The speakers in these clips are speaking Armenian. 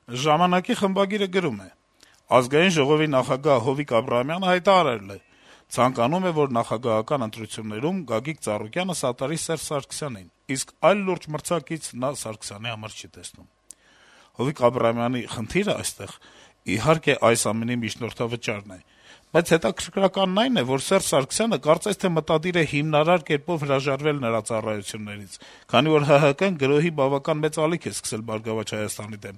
Ժամանակի խմբագիրը գրում է. - Ազգային ժողովի նախագահ Հովիկ Աբրահամյանը հայտարարել է. ցանկանում է, որ նախագահական ընտրություններում Գագիկ Ծառուկյանը սատարի Սերժ Սարգսյանին, իսկ այլ լուրջ մրցակից նա Սարգսյանի համար չի տեսնում։ Հովիկ Աբրահամյանի խնդիրը այստեղ, իհարկե, այս ամենի միջնորդավճարն է, բայց հետաքրքրականն այն է, որ Սերժ Սարգսյանը կարծես թե մտադիր է հիմնարար կերպով հրաժարվել նրա ծառայություններից, քանի որ ՀՀԿ-ն գրոհի բավական մեծ ալիք է սկսել «Բարգավաճ Հայաստանի» դեմ,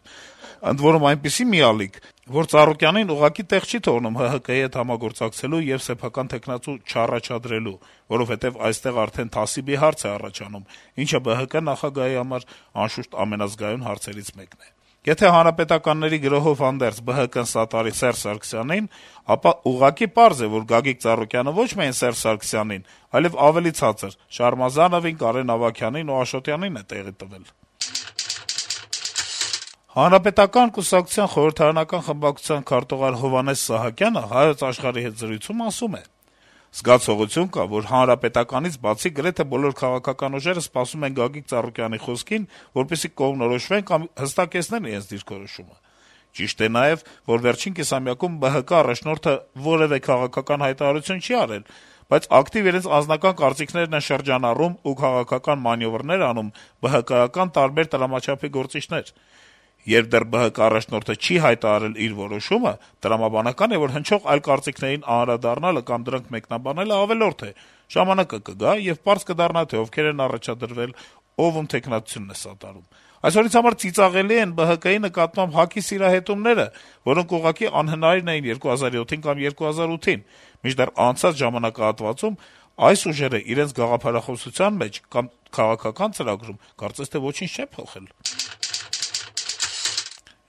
ընդ որում այնպիսի մի ալիք, որ Ծառուկյանին ուղղակի տեղ չի թողնում ՀՀԿ-ի հետ համագործակցելու եւ սեփական թեկնածու չառաջադրելու, որովհետեւ այստեղ արդեն թասիբի հարց է առաջանում, ինչը ԲՀԿ նախագահի համար անշուշտ ամենազգայուն հարցերից մեկն է։ Եթե հանրապետականների գրոհով հանդերձ ԲՀԿ-ն սատարի Սերժ Սարգսյանին, ապա ուղղակի պարզ է, որ Գագիկ Ծառուկյանը ոչ միայն Սերժ Սարգսյանին, այլեւ ավելի ցածր Շարմազանովին, Կարեն Ավագյանին ու Աշոտյանին է տեղի տվել։ Հանրապետական կուսակցության խորհրդարանական խմբակցության քարտուղար Հովհաննես Սահակյանը Հայոց Աշխարհի հետ զրույցում ասում է. «Զգացողություն կա, որ հանրապետականից բացի գրեթե բոլոր քաղաքական ուժերը սպասում են Գագիկ Ծառուկյանի խոսքին, որպեսզի կողմնորոշվեն կամ հստակեցնեն իրենց դիրքորոշումը։ Ճիշտ է նաեւ, որ վերջին կիսամյակում ԲՀԿ առաջնորդը որեւէ քաղաքական հայտարարություն չի արել, բայց ակտիվ իրենց անձնական կարծիքներն են շրջանառում ու քաղաքական մանեւրներ անում ԲՀԿ-ական տարբեր տրամաչափի գործիչներ։ Երբ դեռ ԲՀԿ առաջնորդը չի հայտարարել իր որոշումը, տրամաբանական է, որ հնչող այլ կարծիքներին անդրադառնալը կամ դրանք մեկնաբանելը ավելորդ է, ժամանակը կգա եւ պարզ կդառնա, թե ովքեր են առաջադրվել, ով ում թեկնածությունն է սատարում։ Այսօրից համար ծիծաղելի են ԲՀԿ-ի նկատմամբ ՀԱԿ-ի սիրահետումները, որոնք ուղղակի անհնարին էին 2007-ին կամ 2008-ին, մինչդեռ անցած ժամանակահատվածում այս ուժերը իրենց գաղափարախոսության մեջ կամ քաղաքական ծրագրում կարծես թե ոչինչ չեն փոխել»։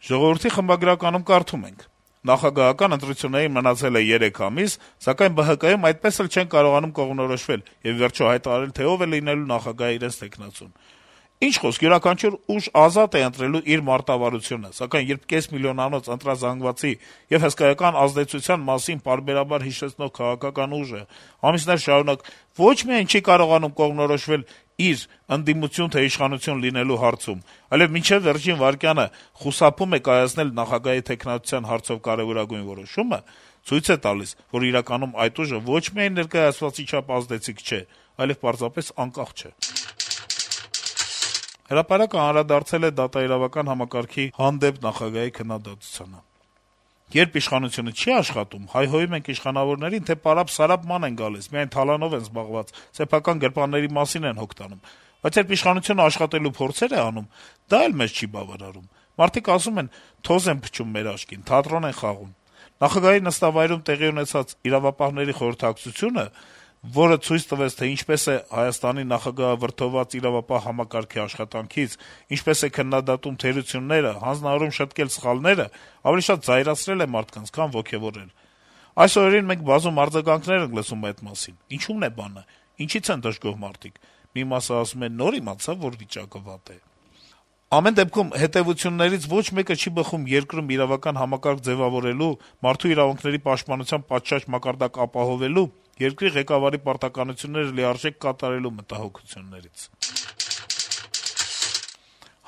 «Ժողովուրդ»-ի խմբագրականում կարդում ենք. - «Նախագահական ընտրություններին մնացել է 3 ամիս, սակայն ԲՀԿ-ում այդպես էլ չեն կարողանում կողմնորոշվել եւ վերջո հայտարարել, թե ով է լինելու նախագահի իրենց թեկնածուն։ Ինչ խոսք, յուրաքանչյուր ուժ ազատ է ընտրելու իր մարտավարությունը, սակայն երբ կես միլիոնանոց ընտրազանգվածի եւ հսկայական ազդեցության մասին պարբերաբար հիշեցնող քաղաքական ուժը ամիսներ շարունակ ոչ միայն չի կարողանում կողմնորոշվել իր ընդդիմություն թե իշխանություն լինելու հարցում, այլեւ մինչեւ վերջին վայրկյանը խուսափում է կայացնել նախագահի թեկնածության հարցով կարեւորագույն որոշումը, ցույց է տալիս, որ իրականում այդ ուժը ոչ միայն ներկայացվածի չափ ազդեցիկ չէ, այլեւ պարզապես անկախ չէ»։ Հրապարակը անդրադարձել է դատաիրավական համակարգի հանդեպ նախագահի քննադատությանը. - «Երբ իշխանությունը չի աշխատում, հայհոյում ենք իշխանավորներին, թե պարապ-սարապ ման են գալիս, միայն թալանով են զբաղված, սեփական գրպանների մասին են հոգ տանում, բայց երբ իշխանությունը աշխատելու փորձեր է անում, դա էլ մեզ չի բավարարում։ Մարդիկ ասում են՝ թոզ են փչում մեր աչքին, թատրոն են խաղում։ Նախագահի նստավայրում տեղի ունեցած իրավապահների խորհրդակցությունը, որը ցույց տվեց, թե ինչպես է Հայաստանի նախագահը վրդովված իրավապահ համակարգի աշխատանքից, ինչպես է քննադատում թերությունները, հանձնարարում շտկել սխալները, ավելի շատ զայրացրել է մարդկանց, քան ոգեւորել։ Այս օրերին մենք բազում արձագանքներ ենք լսում այդ մասին։ Ինչու՞մն է բանը, ինչի՞ց են դժգոհ մարդիկ։ Մի մասը ասում է՝ նոր իմացավ, որ վիճակը վատ է։ Ամեն դեպքում հետեւություններից ոչ մեկը չի բխում երկրում իրավական համակարգ ձեւավորելու, մարդու իրավունքների պաշտպանության պատշաճ մակարդակ ապահովելու, երկրի ղեկավարի պարտականությունները լիարժեք կատարելու մտահոգություններից»։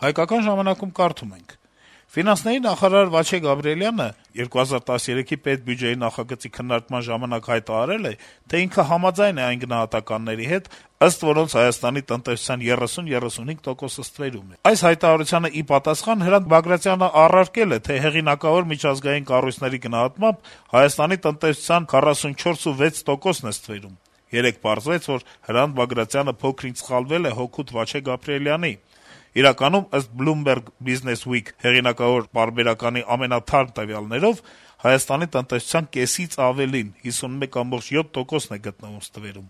«Հայկական ժամանակ»-ում կարդում ենք. - «Ֆինանսների նախարար Վաչե Գաբրիելյանը 2013-ի պետբյուջեի նախագծի քննարկման ժամանակ հայտարարել է, թե ինքը համաձայն է այն գնահատականների հետ, ըստ որոնց Հայաստանի տնտեսության 30-35%-ը ստվերում է։ Այս հայտարարությանը ի պատասխան Հրանտ Բագրատյանը առարկել է, թե հեղինակավոր միջազգային կառույցների գնահատմամբ Հայաստանի տնտեսության 44,6%-ն է ստվերում։ Երեկ պարզվեց, որ Հրանտ Բագրատյանը փոքր-ինչ սխալվել է հօգուտ Վաչե Գաբրիելյանի։ Իրականում, ըստ Bloomberg Business Week հեղինակավոր պարբերականի ամենաթարմ տվյալներով, Հայաստանի տնտեսության կեսից ավելին՝ 51,7%-ն է գտնվում ստվերում։